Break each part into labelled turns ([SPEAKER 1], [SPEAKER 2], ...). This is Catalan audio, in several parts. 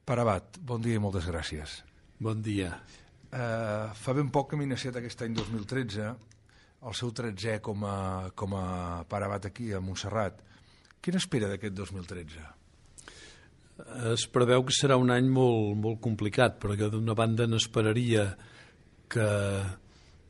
[SPEAKER 1] Pare Abat, bon dia i moltes gràcies.
[SPEAKER 2] Bon dia.
[SPEAKER 1] Fa ben poc que m'he iniciat aquest any 2013, el seu 13è com a Pare Abat aquí a Montserrat. Què n'espera d'aquest 2013?
[SPEAKER 2] Es preveu que serà un any molt complicat, perquè d'una banda n'esperaria que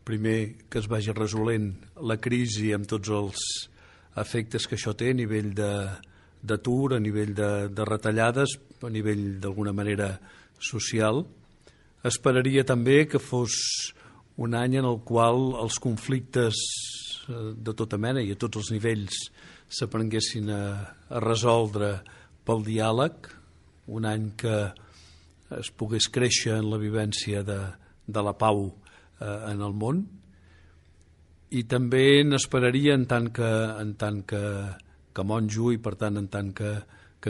[SPEAKER 2] primer que es vagi resolent la crisi amb tots els efectes que això té a nivell d'atur, a nivell de retallades, a nivell d'alguna manera social. Esperaria també que fos un any en el qual els conflictes de tota mena i a tots els nivells s'aprenguessin a resoldre pel diàleg, un any que es pogués créixer en la vivència de la pau en el món, i també n'esperaria en tant que monjo i per tant en tant que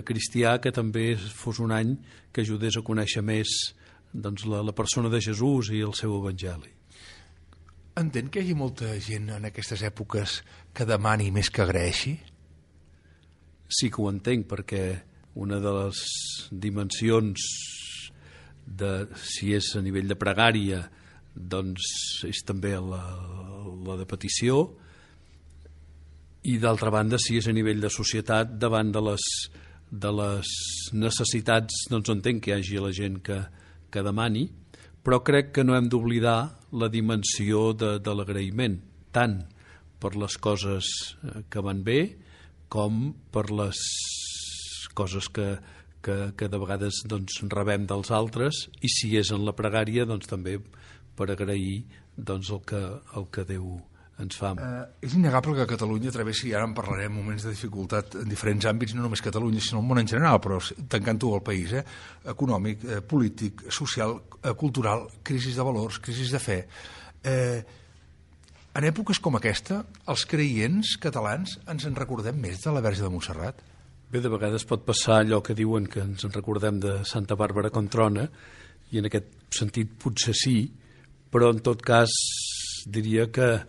[SPEAKER 2] cristià que també fos un any que ajudés a conèixer més la persona de Jesús i el seu evangeli.
[SPEAKER 1] Entén que hi hagi molta gent en aquestes èpoques que demani més que agraeixi?
[SPEAKER 2] Sí que ho entenc, perquè una de les dimensions si és a nivell de pregària, doncs és també la de petició, i d'altra banda, si és a nivell de societat, davant de les necessitats, doncs entenc que hi hagi la gent que demani, però crec que no hem d'oblidar la dimensió de l'agraïment, tant per les coses que van bé com per les coses que de vegades rebem dels altres, i si és en la pregària, doncs també per agrair el que Déu ens fa.
[SPEAKER 1] És innegable que Catalunya travessi, ara en parlarem, moments de dificultat en diferents àmbits, no només Catalunya, sinó el món en general, però tancant-ho al país, econòmic, polític, social, cultural, crisi de valors, crisi de fe. En èpoques com aquesta, els creients catalans ens en recordem més de la Verge de Montserrat?
[SPEAKER 2] Bé, de vegades pot passar allò que diuen que ens en recordem de Santa Bàrbara Controna, i en aquest sentit potser sí, però en tot cas diria que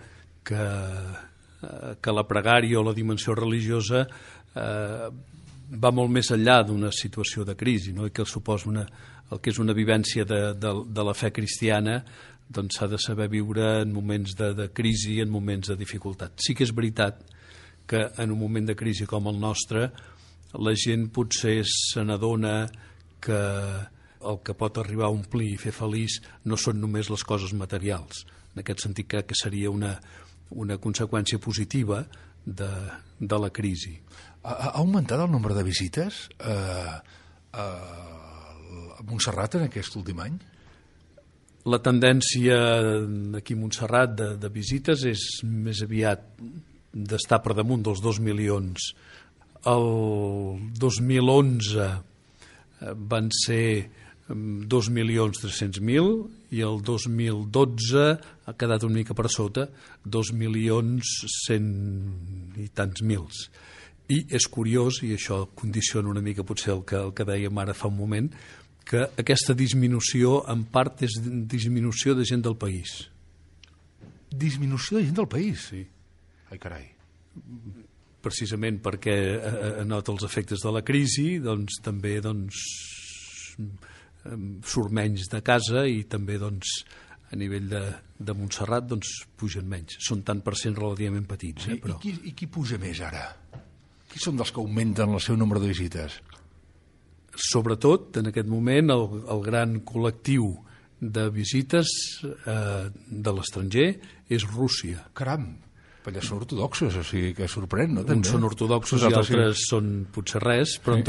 [SPEAKER 2] la pregària o la dimensió religiosa va molt més enllà d'una situació de crisi, no? I que suposa el que és una vivència de la fe cristiana, doncs s'ha de saber viure en moments de crisi i en moments de dificultat. Sí que és veritat que en un moment de crisi com el nostre la gent potser se n'adona que el que pot arribar a omplir i fer feliç no són només les coses materials. En aquest sentit crec que seria una conseqüència positiva de la crisi.
[SPEAKER 1] Ha augmentat el nombre de visites a Montserrat en aquest últim any?
[SPEAKER 2] La tendència aquí a Montserrat de visites és més aviat d'estar per damunt dels 2 milions. El 2011 van ser 2.300.000 i el 2012 ha quedat una mica per sota, 2.100.000 i tants mils. I és curiós, i això condiciona una mica potser el que dèiem ara fa un moment, que aquesta disminució en part és disminució de gent del país.
[SPEAKER 1] Disminució de gent del país?
[SPEAKER 2] Sí.
[SPEAKER 1] Ai, carai.
[SPEAKER 2] Precisament perquè nota els efectes de la crisi, doncs també surt menys de casa i també a nivell de Montserrat pugen menys. Són tant per cent relativament petits. Però...
[SPEAKER 1] I qui puja més ara? Qui són dels que augmenten el seu nombre de visites?
[SPEAKER 2] Sobretot, en aquest moment, el gran col·lectiu de visites de l'estranger és Rússia.
[SPEAKER 1] Caram! Allà són ortodoxos, o sigui que sorprèn, no?
[SPEAKER 2] Uns són ortodoxos i altres són potser res, però en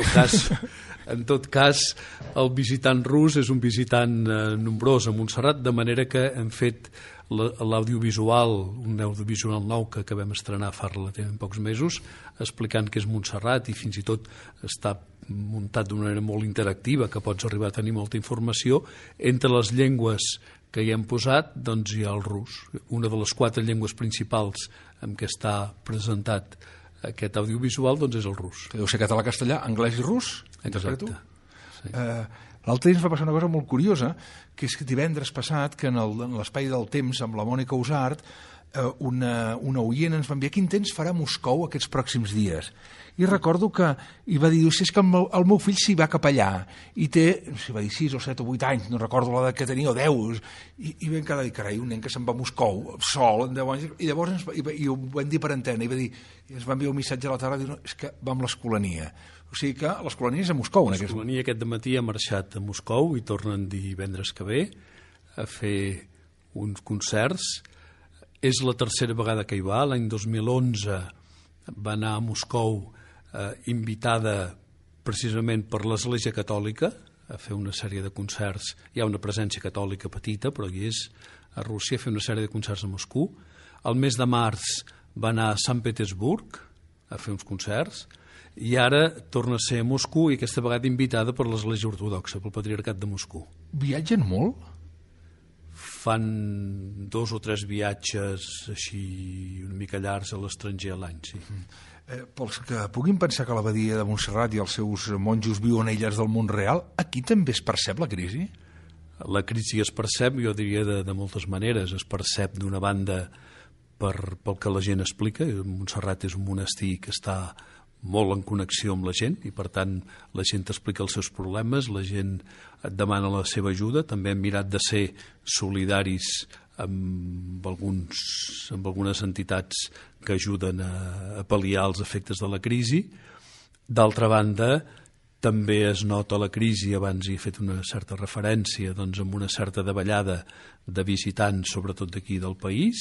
[SPEAKER 2] tot cas el visitant rus és un visitant nombrós a Montserrat, de manera que hem fet l'audiovisual, un audiovisual nou que acabem d'estrenar fa relativament pocs mesos, explicant què és Montserrat, i fins i tot està muntat d'una manera molt interactiva, que pots arribar a tenir molta informació. Entre les llengües que hi hem posat, doncs hi ha el rus, una de les 4 llengües principals en què està presentat aquest audiovisual, doncs és el rus.
[SPEAKER 1] Que deu ser català, castellà, anglès i rus?
[SPEAKER 2] Exacte. Sí.
[SPEAKER 1] L'altre dia ens va passar una cosa molt curiosa, que és que divendres passat, que en l'Espai del Temps, amb la Mònica Usart, una oient ens va enviar quin temps farà Moscou aquests pròxims dies. I recordo que hi va dir, és que el meu fill s'hi va cap allà, i té, s'hi va dir 6 o 7 o 8 anys, no recordo l'edat que tenia, o 10, i vam quedar dir, carai, un nen que se'n va a Moscou, sol, en 10 anys, i llavors i ho vam dir per antena, i va dir, ens va enviar un missatge a la tarda, diu, no, és que va amb l'Escolania. O sigui que l'Escolania és a Moscou.
[SPEAKER 2] L'Escolania aquest dematí ha marxat a Moscou i tornen divendres que ve a fer uns concerts. És la tercera vegada que hi va. L'any 2011 va anar a Moscou invitada precisament per l'Església Catòlica a fer una sèrie de concerts. Hi ha una presència catòlica petita, però hi és a Rússia a fer una sèrie de concerts a Moscou. El mes de març va anar a Sant Petersburg a fer uns concerts i ara torna a ser a Moscou i aquesta vegada invitada per l'Església Ortodoxa, pel Patriarcat de Moscou.
[SPEAKER 1] Viatgen molt?
[SPEAKER 2] Fan 2 o 3 viatges així una mica llargs a l'estranger a l'any, sí.
[SPEAKER 1] Pels que puguin pensar que l'abadia de Montserrat i els seus monjos viuen aïllats del món real, aquí també es percep la crisi?
[SPEAKER 2] La crisi es percep, jo diria, de moltes maneres. Es percep d'una banda pel que la gent explica. Montserrat és un monestir que està molt en connexió amb la gent i per tant la gent t'explica els seus problemes, la gent et demana la seva ajuda. També hem mirat de ser solidaris amb algunes entitats que ajuden a pal·liar els efectes de la crisi. D'altra banda, també es nota la crisi, abans hi he fet una certa referència, doncs amb una certa davallada de visitants, sobretot d'aquí del país,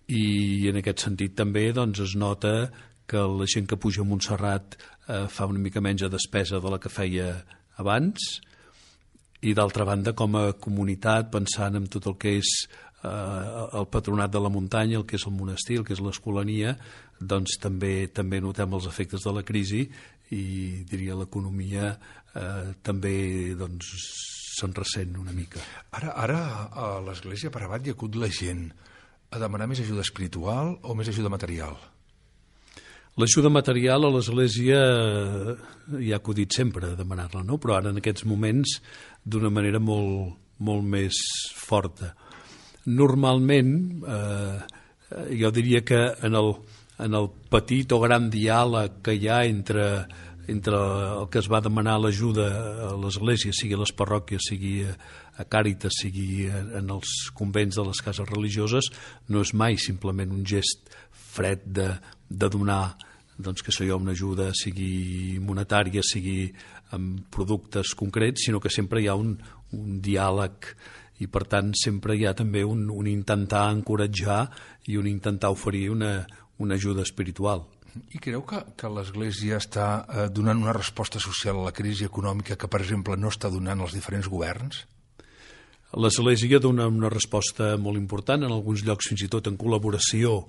[SPEAKER 2] i en aquest sentit també doncs, es nota que la gent que puja a Montserrat fa una mica menys de despesa de la que feia abans, i d'altra banda com a comunitat, pensant en tot el que és el patronat de la muntanya, el que és el monestir, el que és l'Escolania, doncs també notem els efectes de la crisi i diria l'economia també doncs se'n ressent una mica.
[SPEAKER 1] Ara a l'Església per abat hi acut la gent a demanar més ajuda espiritual o més ajuda material?
[SPEAKER 2] L'ajuda material a l'Església hi ha acudit sempre a demanar-la, no? Però ara en aquests moments d'una manera molt més forta. Normalment, jo diria que en el petit o gran diàleg que hi ha entre el que es va demanar l'ajuda a l'Església, sigui a les parròquies, sigui a Càritas, sigui en els convents de les cases religioses, no és mai simplement un gest fred de donar doncs que sigui una ajuda, sigui monetària, sigui amb productes concrets, sinó que sempre hi ha un diàleg i per tant sempre hi ha també un intentar encoratjar i un intentar oferir una ajuda espiritual.
[SPEAKER 1] I creu que l'Església està donant una resposta social a la crisi econòmica que, per exemple, no està donant els diferents governs?
[SPEAKER 2] L'Església dona una resposta molt important, en alguns llocs fins i tot en col·laboració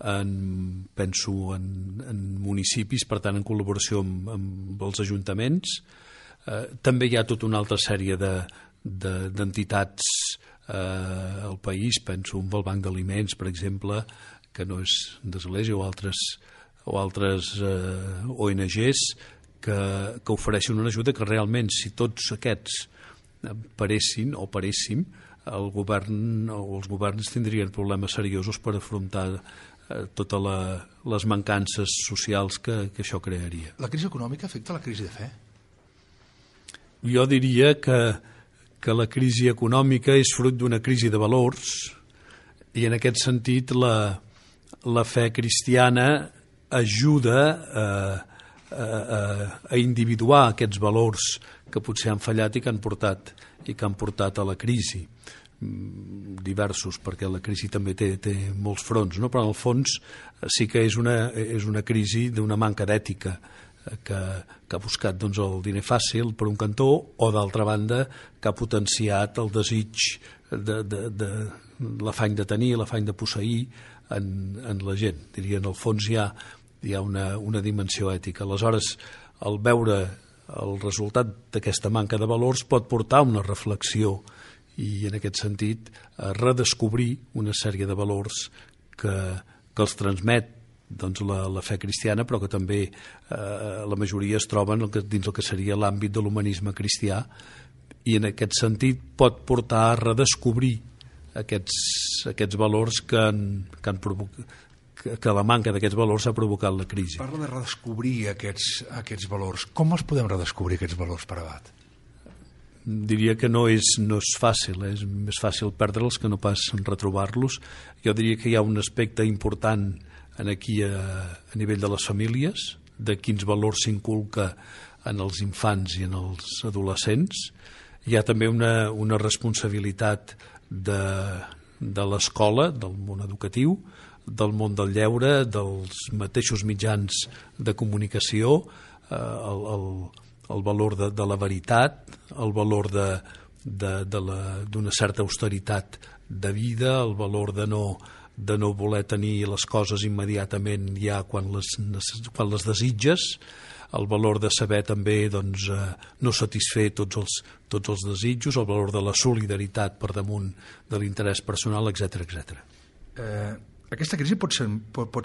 [SPEAKER 2] penso en municipis, per tant en col·laboració amb els ajuntaments. També hi ha tota una altra sèrie d'entitats al país, penso en el Banc d'Aliments, per exemple, que no és d'Església, o altres ONGs que ofereixen una ajuda que realment, si tots aquests paréssim, el govern o els governs tindrien problemes seriosos per afrontar totes les mancances socials que això crearia.
[SPEAKER 1] La crisi econòmica afecta la crisi de fe?
[SPEAKER 2] Jo diria que la crisi econòmica és fruit d'una crisi de valors i en aquest sentit la fe cristiana ajuda a individuar aquests valors que potser han fallat i que han portat a la crisi. Diversos, perquè la crisi també té molts fronts, no? Però en el fons sí que és una crisi d'una manca d'ètica que ha buscat doncs, el diner fàcil per un cantó o d'altra banda que ha potenciat el desig de l'afany de tenir, l'afany de posseir en la gent. Diria, en el fons hi ha una dimensió ètica. Aleshores, al veure el resultat d'aquesta manca de valors pot portar a una reflexió i en aquest sentit redescobrir una sèrie de valors que els transmet doncs, la fe cristiana, però que també la majoria es troben dins el que seria l'àmbit de l'humanisme cristià, i en aquest sentit pot portar a redescobrir aquests valors que la manca d'aquests valors ha provocat la crisi.
[SPEAKER 1] Parla de redescobrir aquests valors. Com els podem redescobrir, aquests valors, per Abat?
[SPEAKER 2] Diria que no és fàcil, és més fàcil perdre'ls que no pas retrobar-los. Jo diria que hi ha un aspecte important aquí a nivell de les famílies, de quins valors s'inculca en els infants i en els adolescents. Hi ha també una responsabilitat de l'escola, del món educatiu, del món del lleure, dels mateixos mitjans de comunicació, el valor de la veritat, el valor d'una certa austeritat de vida, el valor de no voler tenir les coses immediatament ja quan les desitges, el valor de saber també no satisfer tots els desitjos, el valor de la solidaritat per damunt de l'interès personal, etc.
[SPEAKER 1] Aquesta crisi pot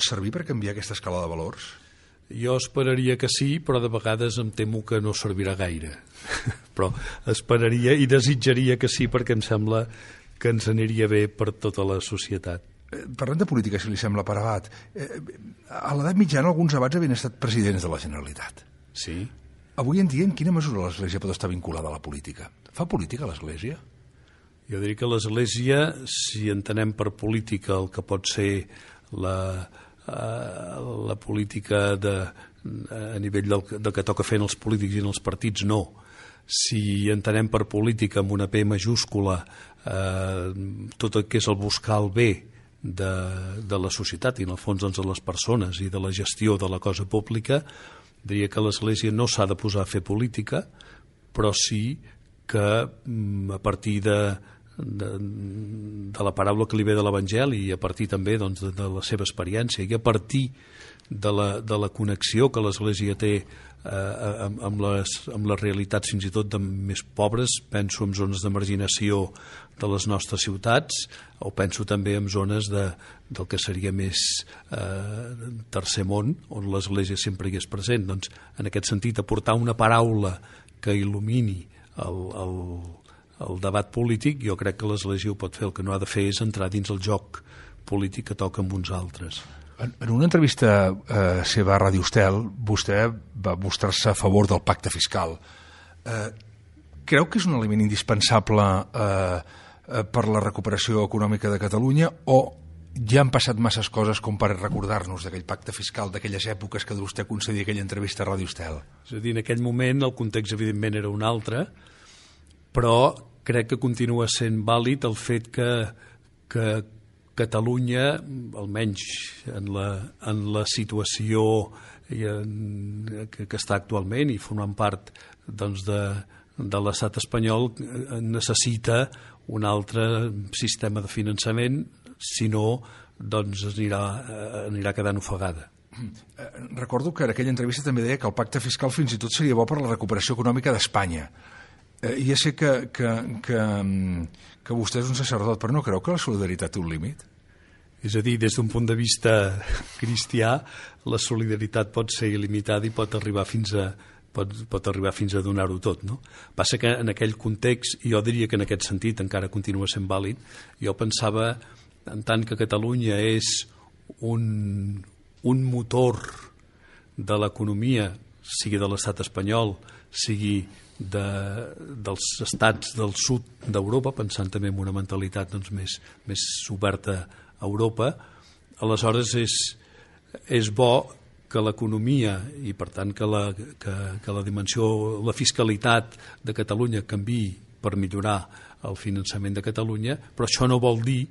[SPEAKER 1] servir per canviar aquesta escala de valors?
[SPEAKER 2] Jo esperaria que sí, però de vegades em temo que no servirà gaire. Però esperaria i desitjaria que sí, perquè em sembla que ens aniria bé per tota la societat.
[SPEAKER 1] Parlem de política, si li sembla, per Abat. A l'edat mitjana alguns abats havien estat presidents de la Generalitat.
[SPEAKER 2] Sí.
[SPEAKER 1] Avui en dia, en quina mesura l'Església pot estar vinculada a la política? Fa política l'Església?
[SPEAKER 2] Jo diria que l'Església, si entenem per política el que pot ser la política a nivell del que toca fer en els polítics i en els partits, no. Si entenem per política amb una P majúscula tot el que és el buscar el bé de la societat i en el fons de les persones i de la gestió de la cosa pública, diria que l'Església no s'ha de posar a fer política, però sí que a partir de la paraula que li ve de l'Evangeli i a partir també de la seva experiència i a partir de la connexió que l'Església té amb les realitats fins i tot més pobres, penso en zones de marginació de les nostres ciutats o penso també en zones del que seria més tercer món, on l'Església sempre hi és present. Doncs, en aquest sentit, aportar una paraula que il·lumini el debat polític, jo crec que l'Església ho pot fer. El que no ha de fer és entrar dins el joc polític que toca amb uns altres.
[SPEAKER 1] En una entrevista seva a Ràdio Estel, vostè va mostrar-se a favor del pacte fiscal. Creu que és un element indispensable per la recuperació econòmica de Catalunya o ja han passat masses coses com per recordar-nos d'aquell pacte fiscal, d'aquelles èpoques que vostè concedia aquella entrevista a Ràdio Estel?
[SPEAKER 2] És a dir, en aquell moment el context evidentment era un altre, però crec que continua sent vàlid el fet que Catalunya, almenys en la situació que està actualment i formant part de l'estat espanyol, necessita un altre sistema de finançament, si no anirà quedant ofegada.
[SPEAKER 1] Recordo que en aquella entrevista també deia que el pacte fiscal fins i tot seria bo per la recuperació econòmica d'Espanya. Ja sé que vostè és un sacerdot, però no creu que la solidaritat té un límit?
[SPEAKER 2] És a dir, des d'un punt de vista cristià, la solidaritat pot ser il·limitada i pot arribar fins a donar-ho tot, no? Passa que en aquell context, i jo diria que en aquest sentit encara continua sent vàlid, jo pensava, en tant que Catalunya és un motor de l'economia, sigui de l'estat espanyol, sigui dels estats del sud d'Europa, pensant també en una mentalitat més oberta a Europa, aleshores és bo que l'economia i per tant que la dimensió, la fiscalitat de Catalunya canviï per millorar el finançament de Catalunya, però això no vol dir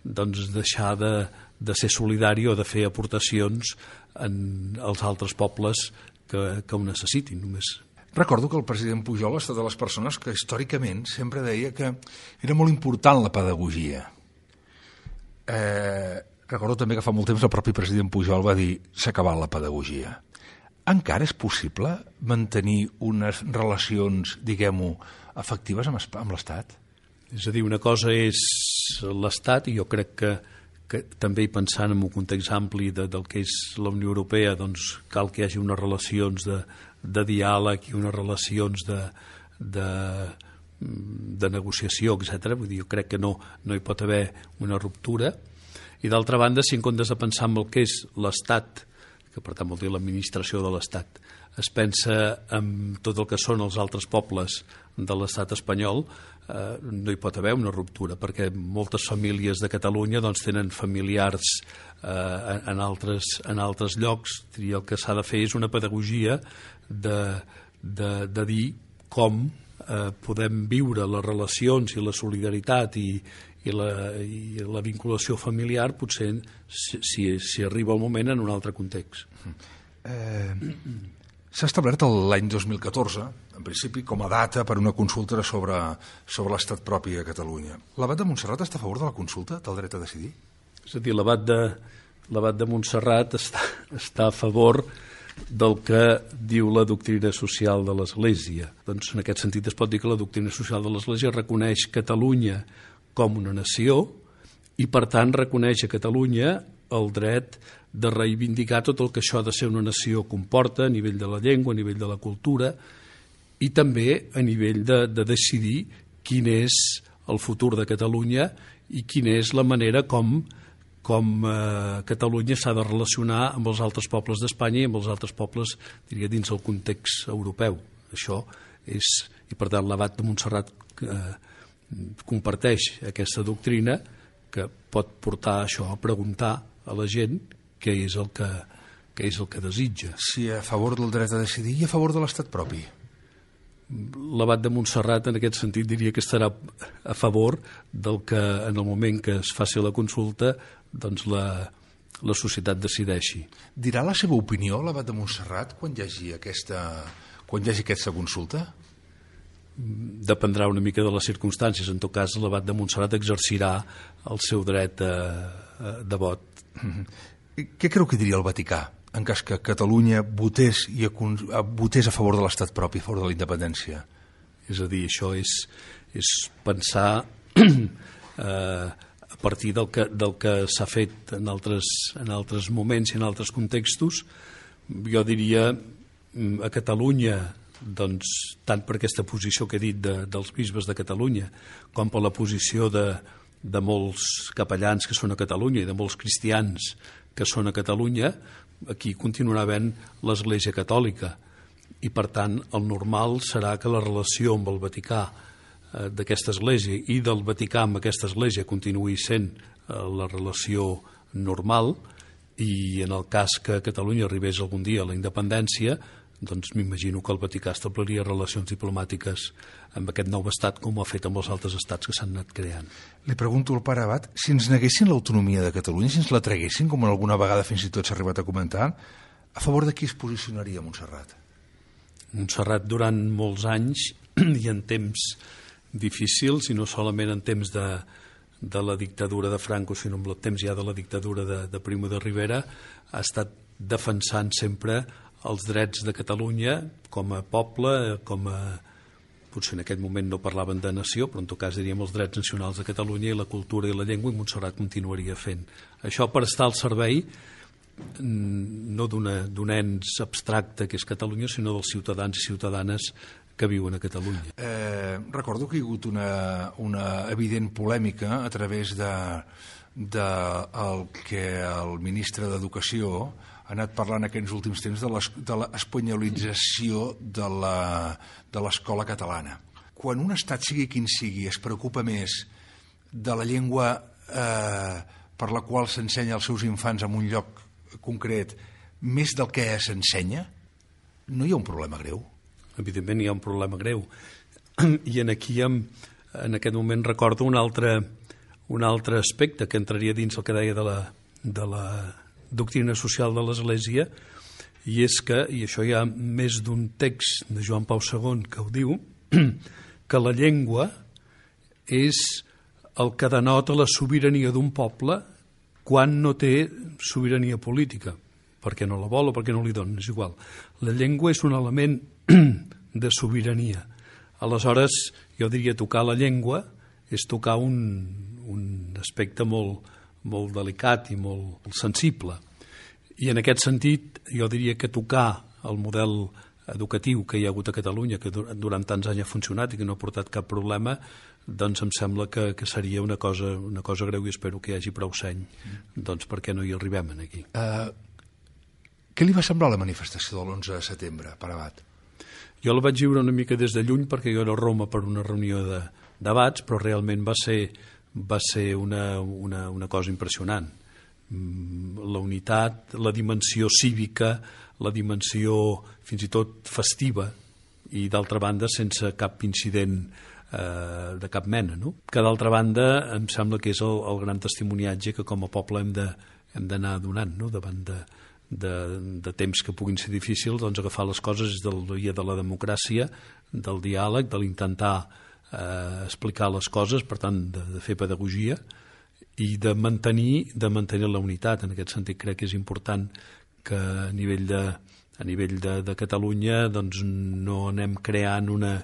[SPEAKER 2] deixar de ser solidari o de fer aportacions als altres pobles que ho necessitin. Només.
[SPEAKER 1] Recordo que el president Pujol ha estat de les persones que històricament sempre deia que era molt important la pedagogia. Recordo també que fa molt temps el propi president Pujol va dir s'ha acabat la pedagogia. Encara és possible mantenir unes relacions, diguem-ho, efectives amb l'Estat?
[SPEAKER 2] És a dir, una cosa és l'Estat i jo crec que també pensant en un context ampli del que és la Unió Europea, doncs cal que hi hagi unes relacions de diàleg i unes relacions de negociació, etc. Vull dir, jo crec que no hi pot haver una ruptura. I d'altra banda, si en comptes de pensar en el que és l'Estat, que per tant vol dir l'administració de l'Estat, es pensa en tot el que són els altres pobles de l'Estat espanyol, no hi pot haver una ruptura, perquè moltes famílies de Catalunya doncs, tenen familiars en altres llocs. El que s'ha de fer és una pedagogia de dir com podem viure les relacions i la solidaritat i la vinculació familiar, potser si arriba el moment en un altre context.
[SPEAKER 1] S'ha establert l'any 2014, en principi, com a data per una consulta sobre l'estat propi a Catalunya. L'Abat de Montserrat està a favor de la consulta, del dret a decidir?
[SPEAKER 2] És a dir, l'Abat de Montserrat està a favor del que diu la doctrina social de l'Església. Doncs en aquest sentit es pot dir que la doctrina social de l'Església reconeix Catalunya com una nació i, per tant, reconeix a Catalunya el dret de reivindicar tot el que això de ser una nació comporta a nivell de la llengua, a nivell de la cultura i també a nivell de decidir quin és el futur de Catalunya i quina és la manera com Catalunya s'ha de relacionar amb els altres pobles d'Espanya i amb els altres pobles, diria, dins el context europeu. Això és, i per tant l'Abat de Montserrat comparteix aquesta doctrina que pot portar això a preguntar a la gent què és el que desitja.
[SPEAKER 1] Sí, a favor del dret a decidir i a favor de l'estat propi.
[SPEAKER 2] L'Abat de Montserrat en aquest sentit diria que estarà a favor del que en el moment que es faci la consulta doncs la societat decideixi.
[SPEAKER 1] Dirà la seva opinió l'Abat de Montserrat quan hi hagi aquesta consulta?
[SPEAKER 2] Dependrà una mica de les circumstàncies. En tot cas, l'Abat de Montserrat exercirà el seu dret de vot.
[SPEAKER 1] Què creu que diria el Vaticà en cas que Catalunya votés a favor de l'estat propi, a favor de la independència?
[SPEAKER 2] És a dir, això és pensar a partir del que s'ha fet en altres moments i en altres contextos. Jo diria a Catalunya, doncs, tant per aquesta posició que he dit dels bisbes de Catalunya com per la posició de molts capellans que són a Catalunya i de molts cristians que són a Catalunya, aquí continuarà havent l'Església Catòlica i, per tant, el normal serà que la relació amb el Vaticà d'aquesta Església i del Vaticà amb aquesta Església continuï sent la relació normal i en el cas que Catalunya arribés algun dia a la independència, doncs m'imagino que el Vaticà establiria relacions diplomàtiques amb aquest nou estat com ho ha fet amb els altres estats que s'han anat creant.
[SPEAKER 1] Li pregunto al pare Abat, si ens neguessin l'autonomia de Catalunya, si ens la traguessin, com alguna vegada fins i tot s'ha arribat a comentar, a favor de qui es posicionaria Montserrat?
[SPEAKER 2] Montserrat durant molts anys i en temps difícils, i no solament en temps de la dictadura de Franco, sinó en el temps ja de la dictadura de Primo de Rivera, ha estat defensant sempre els drets de Catalunya com a poble, potser en aquest moment no parlaven de nació, però en tot cas diríem els drets nacionals de Catalunya i la cultura i la llengua, i Montserrat continuaria fent. Això per estar al servei no d'un ens abstracte que és Catalunya, sinó dels ciutadans i ciutadanes que viuen a Catalunya.
[SPEAKER 1] Recordo que hi ha hagut una evident polèmica a través del que el ministre d'Educació ha anat parlant aquests últims temps de l'espanyolització de l'escola catalana. Quan un estat, sigui quin sigui, es preocupa més de la llengua per la qual s'ensenya als seus infants en un lloc concret, més del que s'ensenya, no hi ha un problema greu?
[SPEAKER 2] Evidentment hi ha un problema greu. I en aquest moment recordo un altre aspecte que entraria dins el que deia de la doctrina social de l'Església, i és que, i això hi ha més d'un text de Joan Pau II que ho diu, que la llengua és el que denota la sobirania d'un poble quan no té sobirania política, perquè no la vol o perquè no li donen, és igual. La llengua és un element de sobirania. Aleshores, jo diria tocar la llengua és tocar un aspecte molt, molt delicat i molt sensible. I en aquest sentit jo diria que tocar el model educatiu que hi ha hagut a Catalunya, que durant tants anys ha funcionat i que no ha portat cap problema, doncs em sembla que seria una cosa greu, i espero que hi hagi prou seny doncs perquè no hi arribem aquí.
[SPEAKER 1] Què li va semblar la manifestació de l'11 de setembre, per Abat?
[SPEAKER 2] Jo la vaig viure una mica des de lluny perquè jo era a Roma per una reunió de debats, però realment va ser una cosa impressionant. La unitat, la dimensió cívica, la dimensió fins i tot festiva i d'altra banda sense cap incident de cap mena, no? Que d'altra banda em sembla que és el gran testimoniatge que com a poble hem d'anar donant, no? Davant de temps que puguin ser difícils, doncs agafar les coses del dia de la democràcia, del diàleg, de l'intentar explicar les coses, per tant de fer pedagogia i de mantenir la unitat. En aquest sentit crec que és important que a nivell de Catalunya doncs no anem creant una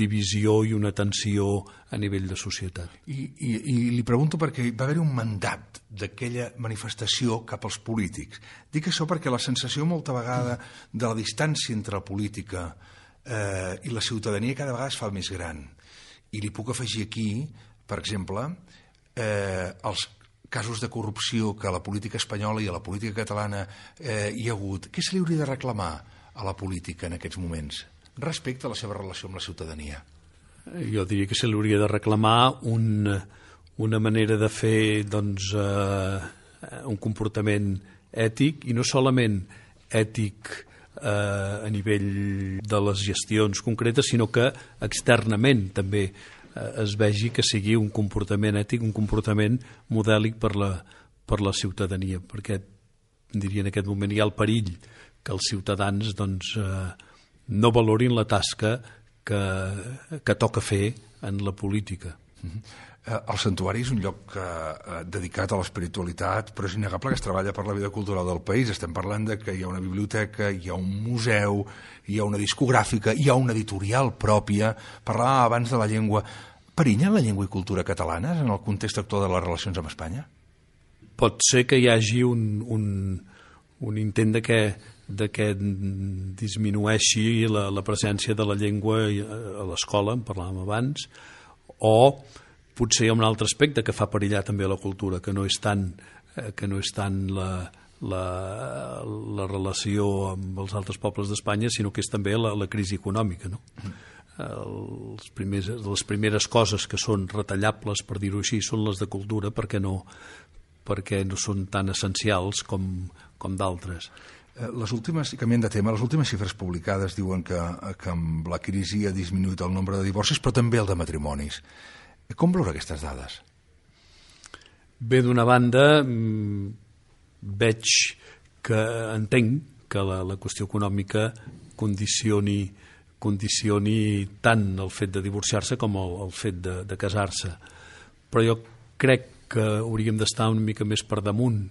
[SPEAKER 2] divisió i una tensió a nivell de societat.
[SPEAKER 1] I li pregunto perquè va haver-hi un mandat d'aquella manifestació cap als polítics. Dic això perquè la sensació molta vegada de la distància entre la política i la ciutadania cada vegada es fa més gran. I li puc afegir aquí, per exemple, els casos de corrupció que a la política espanyola i a la política catalana hi ha hagut. Què se li hauria de reclamar a la política en aquests moments respecte a la seva relació amb la ciutadania?
[SPEAKER 2] Jo diria que se li hauria de reclamar una manera de fer doncs, un comportament ètic, i no solament ètic a nivell de les gestions concretes, sinó que externament també es vegi que sigui un comportament ètic, un comportament modèlic per la ciutadania, perquè diria en aquest moment hi ha el perill que els ciutadans doncs, no valorin la tasca que toca fer en la política.
[SPEAKER 1] El santuari és un lloc dedicat a l'espiritualitat, però és innegable que es treballa per la vida cultural del país. Estem parlant de que hi ha una biblioteca, hi ha un museu, hi ha una discogràfica, hi ha una editorial pròpia. Parlàvem abans de la llengua. Perillen la llengua i cultura catalanes en el context actual de les relacions amb Espanya?
[SPEAKER 2] Pot ser que hi hagi un intent de que disminueixi la presència de la llengua a l'escola, en parlàvem abans, o potser hi ha un altre aspecte que fa perillar també la cultura, que no és tant la relació amb els altres pobles d'Espanya, sinó que és també la crisi econòmica, no? Les primeres coses que són retallables, per dir-ho així, són les de cultura, perquè no són tan essencials com d'altres.
[SPEAKER 1] Les últimes, canviant de tema, les últimes xifres publicades diuen que amb la crisi ha disminuït el nombre de divorcis, però també el de matrimonis. Com veure aquestes dades?
[SPEAKER 2] Bé, d'una banda, entenc que la qüestió econòmica condicioni tant el fet de divorciar-se com el fet de casar-se. Però jo crec que hauríem d'estar una mica més per damunt,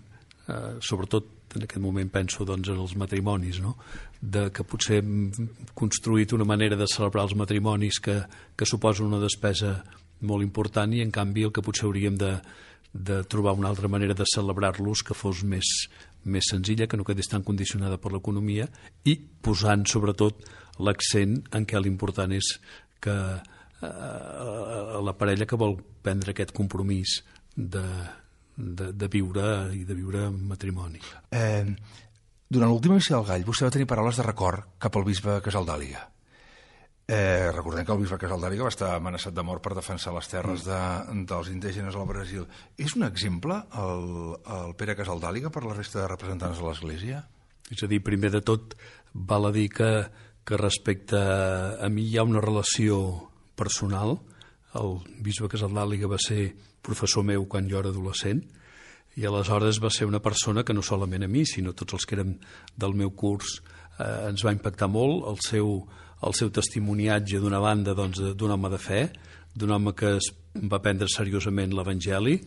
[SPEAKER 2] sobretot en aquest moment penso doncs, en els matrimonis, no? Que potser hem construït una manera de celebrar els matrimonis que suposa una despesa molt important, i en canvi el que potser hauríem de trobar una altra manera de celebrar-los que fos més senzilla, que no quedés tan condicionada per l'economia, i posant sobretot l'accent en què l'important és que la parella que vol prendre aquest compromís de viure i de viure en matrimoni.
[SPEAKER 1] Durant l'última missa del Gall vostè va tenir paraules de record cap al bisbe Casaldàliga. Recordem que el bisbe Casaldàliga va estar amenaçat de mort per defensar les terres dels indígenes al Brasil. És un exemple el Pere Casaldàliga per la resta de representants de l'Església?
[SPEAKER 2] És a dir, primer de tot val a dir que respecte a mi hi ha una relació personal. El bisbe Casaldàliga va ser professor meu quan jo era adolescent, i aleshores va ser una persona que no solament a mi, sinó tots els que érem del meu curs ens va impactar molt el seu testimoniatge, d'una banda doncs, d'un home de fe, d'un home que es va prendre seriosament l'Evangeli,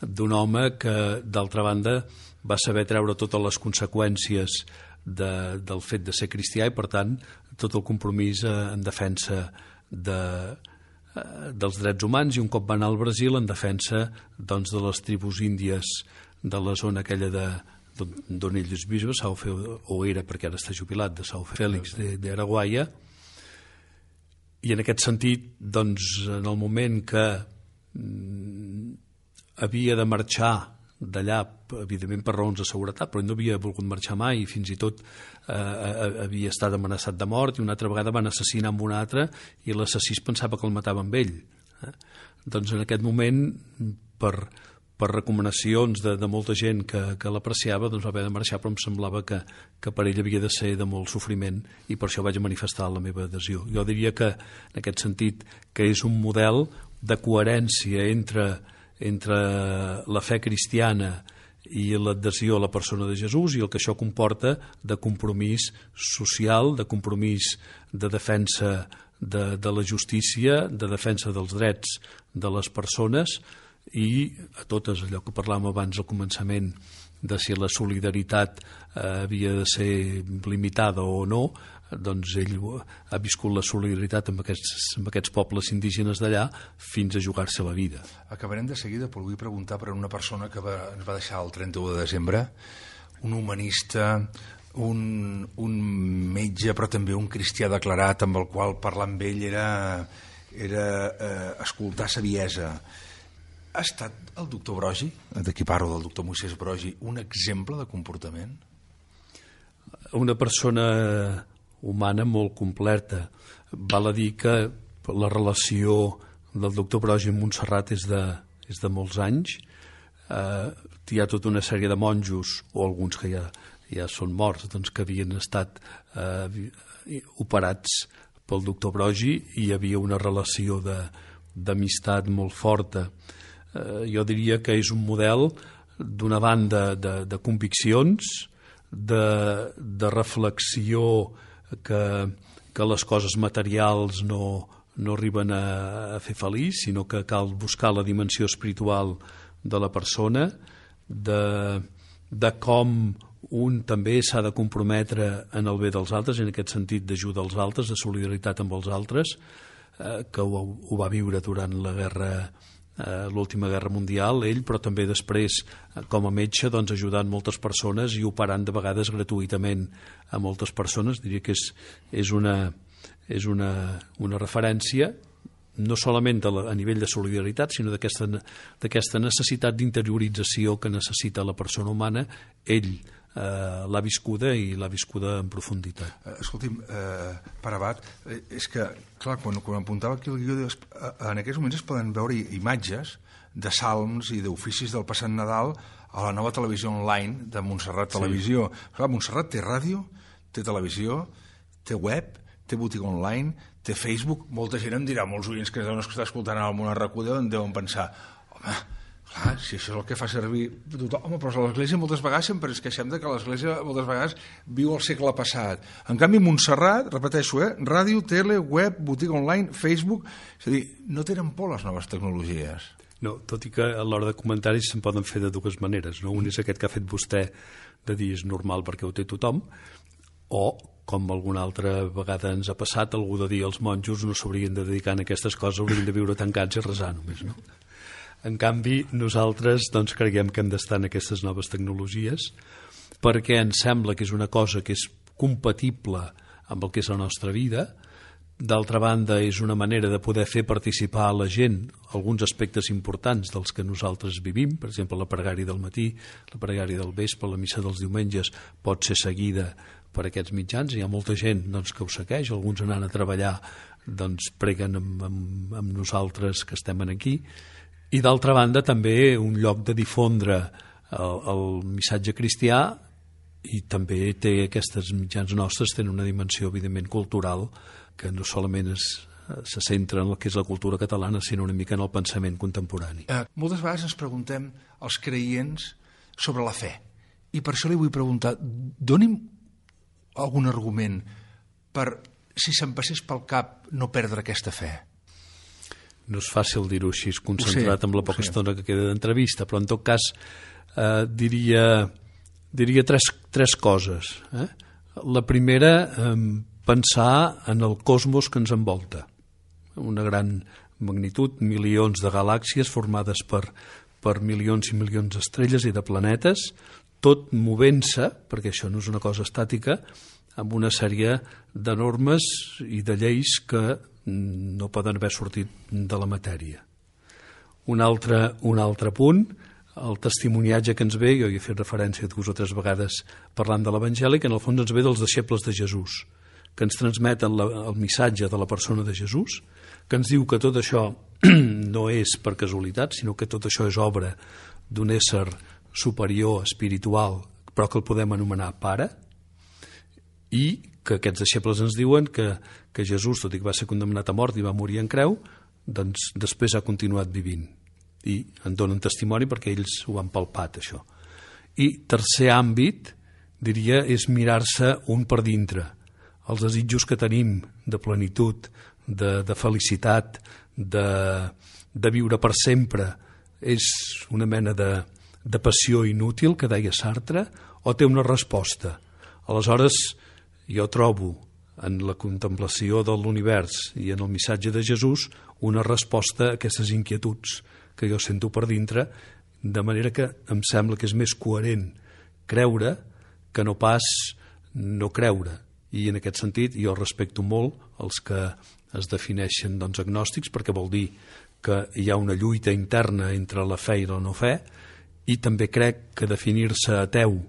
[SPEAKER 2] d'un home que d'altra banda va saber treure totes les conseqüències del fet de ser cristià, i per tant tot el compromís en defensa dels drets humans, i un cop va anar al Brasil en defensa doncs, de les tribus índies de la zona aquella d'on ell és bisbe, o era, perquè ara està jubilat, de São Félix de Araguaia. I en aquest sentit, doncs, en el moment que havia de marxar d'allà, evidentment per raons de seguretat, però no havia volgut marxar mai, i fins i tot havia estat amenaçat de mort, i una altra vegada van assassinar amb un altre, i l'assassí pensava que el matava amb ell. Doncs en aquest moment, per recomanacions de molta gent que l'apreciava, doncs va haver de marxar, però em semblava que per ell havia de ser de molt sofriment, i per això vaig manifestar la meva adhesió. Jo diria que, en aquest sentit, que és un model de coherència entre la fe cristiana i l'adhesió a la persona de Jesús, i el que això comporta de compromís social, de compromís de defensa de la justícia, de defensa dels drets de les persones, i a totes, allò que parlàvem abans al començament, de si la solidaritat havia de ser limitada o no, doncs ell ha viscut la solidaritat amb aquests pobles indígenes d'allà fins a jugar-se la vida.
[SPEAKER 1] Acabarem de seguida, però vull preguntar per una persona que ens va deixar el 31 de desembre, un humanista, un metge, però també un cristià declarat, amb el qual parlar amb ell era escoltar saviesa. Ha estat el doctor Brogi, d'aquí parlo del doctor Moisès Brogi, un exemple de comportament?
[SPEAKER 2] Una persona humana molt completa. Val a dir que la relació del doctor Brogi amb Montserrat és de molts anys. Hi ha tota una sèrie de monjos, o alguns que ja són morts, doncs, que havien estat operats pel doctor Brogi, i hi havia una relació d'amistat molt forta. Jo diria que és un model, d'una banda, de conviccions, de reflexió que les coses materials no arriben a fer feliç, sinó que cal buscar la dimensió espiritual de la persona, de com un també s'ha de comprometre en el bé dels altres, en aquest sentit d'ajuda als altres, de solidaritat amb els altres, que ho va viure durant l'última guerra mundial, ell, però també després, com a metge, doncs, ajudant moltes persones i operant de vegades gratuïtament a moltes persones. Diria que és una referència, no solament a nivell de solidaritat, sinó d'aquesta necessitat d'interiorització que necessita la persona humana. Ell l'ha viscuda, i l'ha viscuda en profunditat.
[SPEAKER 1] Escolti'm, per abat, és que, clar, quan apuntava aquí el guió, en aquests moments es poden veure imatges de salms i d'oficis del passat Nadal a la nova televisió online de Montserrat Televisió. Sí. Clar, Montserrat té ràdio, té televisió, té web, té botiga online, té Facebook. Molta gent em dirà, molts oients que deuen estar escoltant al Món Arracuda deuen pensar, home, clar, si això és el que fa servir tothom, home, però l'Església moltes vegades sempre ens queixem que l'Església moltes vegades viu el segle passat. En canvi, Montserrat, repeteixo, ràdio, tele, web, botiga online, Facebook, és a dir, no tenen por les noves tecnologies.
[SPEAKER 2] No, tot i que a l'hora de comentaris se'n poden fer de dues maneres, no? Un és aquest que ha fet vostè, de dir és normal perquè ho té tothom, o, com alguna altra vegada ens ha passat, algú de dir els monjos no s'haurien de dedicar a aquestes coses, haurien de viure tancats i resar només, no? En canvi, nosaltres doncs, creiem que hem d'estar en aquestes noves tecnologies perquè ens sembla que és una cosa que és compatible amb el que és la nostra vida. D'altra banda, és una manera de poder fer participar a la gent alguns aspectes importants dels que nosaltres vivim. Per exemple, la pregària del matí, la pregària del vespre, la missa dels diumenges pot ser seguida per aquests mitjans. Hi ha molta gent doncs, que ho segueix, alguns anant a treballar doncs, preguen amb nosaltres que estem aquí. I d'altra banda també un lloc de difondre el missatge cristià, i també té aquestes mitjans nostres tenen una dimensió evidentment cultural que no solament se centra en el que és la cultura catalana, sinó una mica en el pensament contemporani.
[SPEAKER 1] Moltes vegades ens preguntem als creients sobre la fe, i per això li vull preguntar, doni'm algun argument per, si se'm passés pel cap, no perdre aquesta fe.
[SPEAKER 2] No és fàcil dir-ho així, concentrat en la poca estona que queda d'entrevista, però en tot cas diria tres coses. La primera, pensar en el cosmos que ens envolta, una gran magnitud, milions de galàxies formades per milions i milions d'estrelles i de planetes, tot movent-se, perquè això no és una cosa estàtica, amb una sèrie de normes i de lleis que no poden haver sortit de la matèria. Un altre punt, el testimoniatge que ens ve, jo hi he fet referència 2 o 3 vegades parlant de l'Evangeli, que en el fons ens ve dels deixebles de Jesús, que ens transmeten el missatge de la persona de Jesús, que ens diu que tot això no és per casualitat, sinó que tot això és obra d'un ésser superior, espiritual, però que el podem anomenar pare, i que aquests deixebles ens diuen que Jesús, tot i que va ser condemnat a mort i va morir en creu, doncs després ha continuat vivint. I en donen testimoni perquè ells ho han palpat, això. I tercer àmbit, diria, és mirar-se un per dintre. Els desitjos que tenim de plenitud, de felicitat, de viure per sempre, és una mena de passió inútil, que deia Sartre, o té una resposta? Aleshores, jo trobo en la contemplació de l'univers i en el missatge de Jesús una resposta a aquestes inquietuds que jo sento per dintre, de manera que em sembla que és més coherent creure que no pas no creure. I en aquest sentit jo respecto molt els que es defineixen agnòstics, perquè vol dir que hi ha una lluita interna entre la fe i la no fe, i també crec que definir-se ateu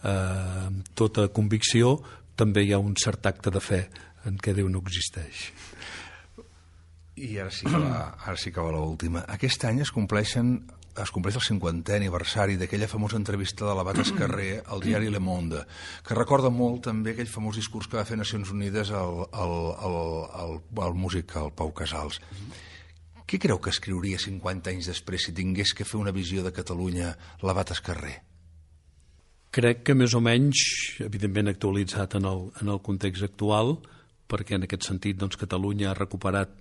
[SPEAKER 2] amb tota convicció també hi ha un cert acte de fe en què Déu no existeix.
[SPEAKER 1] I ara sí que va l'última. Aquest any es compleix el 50è aniversari d'aquella famosa entrevista de l'Abat Escarré al diari Le Monde, que recorda molt també aquell famós discurs que va fer Nacions Unides al músic, el Pau Casals. Què creu que escriuria 50 anys després si tingués que fer una visió de Catalunya l'Abat Escarré?
[SPEAKER 2] Crec que més o menys, evidentment actualitzat en el context actual, perquè en aquest sentit Catalunya ha recuperat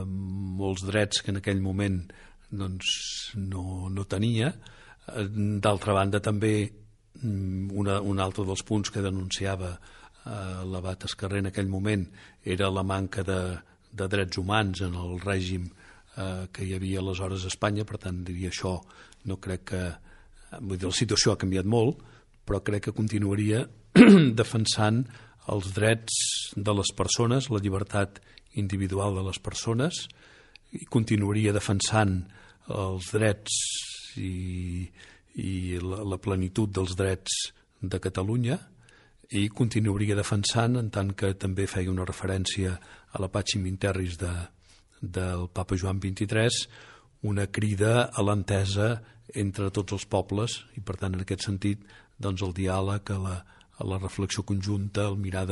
[SPEAKER 2] molts drets que en aquell moment no tenia. D'altra banda, també un altre dels punts que denunciava l'Abat Escarré en aquell moment era la manca de drets humans en el règim que hi havia aleshores a Espanya. Per tant, diria això, no crec que... Vull dir, la situació ha canviat molt, però crec que continuaria defensant els drets de les persones, la llibertat individual de les persones, i continuaria defensant els drets i la plenitud dels drets de Catalunya, i continuaria defensant, en tant que també feia una referència a la Pacem in Terris del Papa Joan XXIII, una crida a l'entesa entre tots els pobles, i per tant en aquest sentit el diàleg, a la reflexió conjunta, el mirar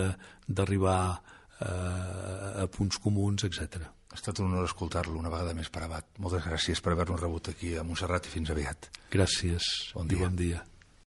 [SPEAKER 2] d'arribar a punts comuns, etc.
[SPEAKER 1] Ha estat un honor escoltar-lo una vegada més per Abat. Moltes gràcies per haver-nos rebut aquí a Montserrat i fins aviat.
[SPEAKER 2] Gràcies i bon dia.